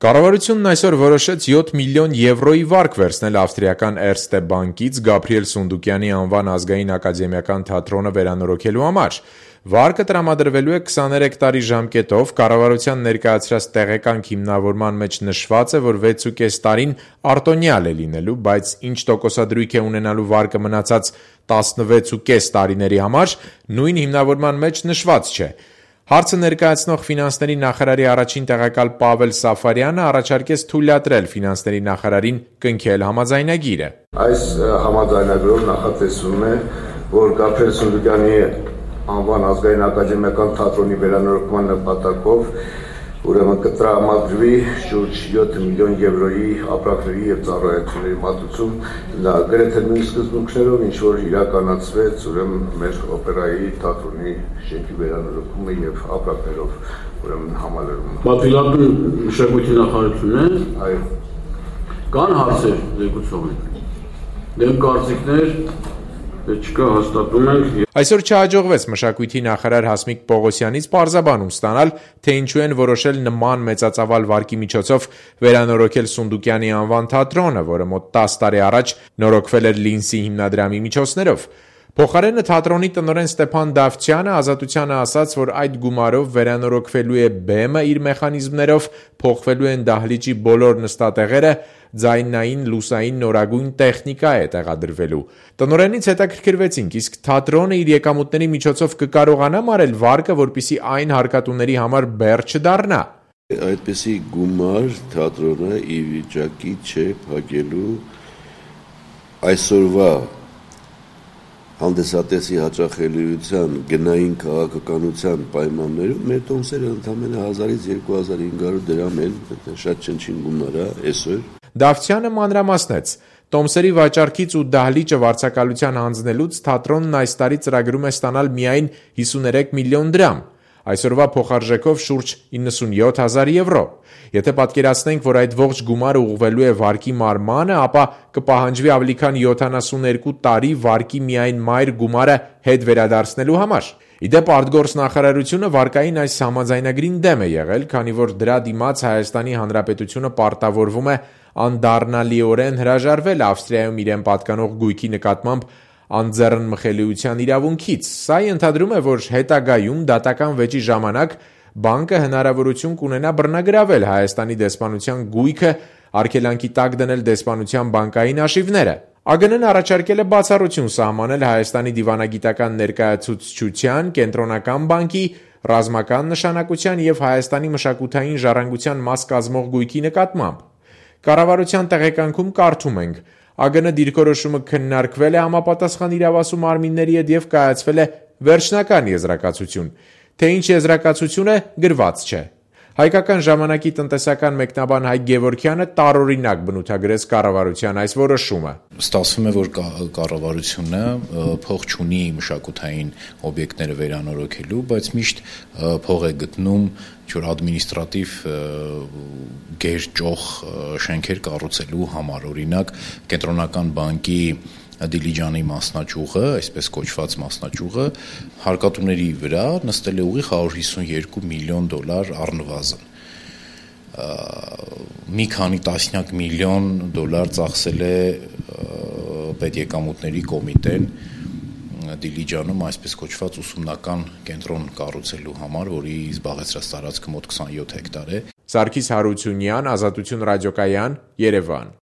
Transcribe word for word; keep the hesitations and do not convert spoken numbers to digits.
Կառավարությունն այսօր որոշեց յոթ միլիոն եվրոյի վարկ վերցնել ավստրիական Էրստե բանկից Գաբրիել Սունդուկյանի անվան ազգային ակադեմիական թատրոնը վերանորոգելու համար։ Վարկը տրամադրվելու է քսաներեք տարի ժամկետով, կառավարության ներկայացրած տեղեկանք հիմնավորման մեջ նշված է, որ վեցուկես տարին արտոնյալ է լինելու, բայց ինչ տոկոսադրույք է ունենալու վարկը մնացած տասնվեցուկես տարիների համար, նույն հիմնավորման մեջ նշված չէ։ Հարցը ներկայացնող ֆինանսների նախարարի առաջին տեղակալ Պավել Սաֆարյանը առաջարկեց թույլատրել ֆինանսների նախարարին կնքել համաձայնագիրը։ Այս համաձայնագրով նախատեսվում է, որ Գաբրիել Սունդուկյանի անվան ազգային ակադեմիական թատրոնի վերանորոգման նպատակով ուրեմն կտրամադրվի շուրջ յոթ միլիոն եվրոյի ապրանքների եւ ծառայությունների մատուցում, դա գրեթե նույն սկզբունքներով, ինչ որ իրականացվեց ուրեմն մեր օպերայի թատրոնի շենքի վերանորոգումը եւ ապրանքներով ուրեմն համալրումը։ Պատվիրատու մշակույթի նախարարությունն է։ Այո։ Կան հարցեր զեկուցողին։ Դեմ կարծիքներ չկա, հաստատում ենք։ Այսօր չհաջողվեց մշակույթի նախարար Հասմիկ Պողոսյանից պարզաբանում ստանալ, թե ինչու են որոշել նման մեծածավալ վարկի միջոցով վերանորոգել Սունդուկյանի անվան թատրոնը, որը մոտ տասը տարի առաջ նորոգվել էր Լինսի հիմնադրամի միջոցներով։ Փոխարենը թատրոնի տնօրեն Ստեփան Դավթյանը Ազատությանը ասաց, որ այդ գումարով վերանորոգվելու է բեմը իր մեխանիզմներով, փոխվելու են դահլիճի բոլոր նստատեղերը, ձայնային, լուսային նորագույն տեխնիկա է տեղադրվելու։ Տնօրենից հետաքրքրվեցինք, իսկ թատրոնը իր եկամուտների միջոցով կկարողանա մարել վարկը, որպեսզի այն հարկատուների համար բեռ չդառնա։ Այդպիսի գումար թատրոնը ի վիճակի չէ փակելու այսօրվա հանդեսատեսի հաճախելիության գնային քաղաքականության պայմաններում մեր տոմսերը ընդամենը հազարից երկու հազար հինգ հարյուր դրամ են, շատ չնչին գումար է այսօր։ Դավթյանը մանրամասնեց. տոմսերի վաճառքից ու դահլիճը վարձակալության հանձնելուց թատրոնն այս տարի ծրագրում է ստանալ միայն հիսուներեք միլիոն դրամ, այսօրվա փոխարժեքով շուրջ իննսունյոթ հազար եվրո։ Եթե պատկերացնենք, որ այդ ողջ գումարը ուղղվելու է վարկի մարմանը, ապա կպահանջվի ավելի քան յոթանասուններկու տարի վարկի միայն մայր գումարը հետ վերադարձնելու համար։ Իդեպ արտգործ նախարարությունը վարկային այս համաձայնագրին դեմ է եղել, քանի որ դրա դիմաց Հայաստանի Հանրապետությունը պարտավորվում է անդառնալիորեն հրաժարվել Ավստրիայում իրեն պատկանող գույքի նկատմամբ անձեռնմխելիության իրավունքից։ Սա ենթադրում է, որ հետագայում դատական վեճի ժամանակ բանկը հնարավորություն կունենա բռնագրավել Հայաստանի դեսպանության գույքը, արգելանքի տակ դնել դեսպանության բանկային աշիվները։ ԱԳՆ-ն առաջարկել է բացառություն սահմանել Հայաստանի դիվանագիտական ներկայացուցչության, Կենտրոնական բանկի, ռազմական նշանակության եւ Հայաստանի մշակութային ժառանգության մաս կազմող գույքի նկատմամբ։ Կառավարության տեղեկանքում կարդում ենք. ԱԳՆ դիրքորոշումը քննարկվել է համապատասխան իրավասու մարմինների հետ եւ կայացվել է վերջնական եզրակացություն, թե ինչ եզրակացություն է գրված չէ։ Հայկական ժամանակի տնտեսական մեկնաբան Հայկ Գևորգյանը տարօրինակ բնութագրեց կառավարության այս որոշումը։ Ստացվում է, որ կառավարությունը փող չունի մշակութային օբյեկտները վերանորոգելու, բայց միշտ փող է գտնում ինչ-որ ադմինիստրատիվ գերճոխ շենքեր կառուցելու համար, օրինակ Կենտրոնական բանկի Դիլիջանի մասնաճյուղը, այսպես կոչված մասնաճյուղը, հարկատուների վրա նստել է ուղիղ հարյուր հիսունյոթ միլիոն դոլար առնվազն։ Մի քանի տասնյակ միլիոն դոլար ծախսել է պետեկամուտների կոմիտեն Դիլիջանում այսպես կոչված ուսումնական կենտրոն կառուցելու համար, որի զբաղեցրած տարածքը մոտ քսանյոթ հեկտար է։ Սարգիս Հարությունյան, Ազատություն ռադիոկայան, Երևան։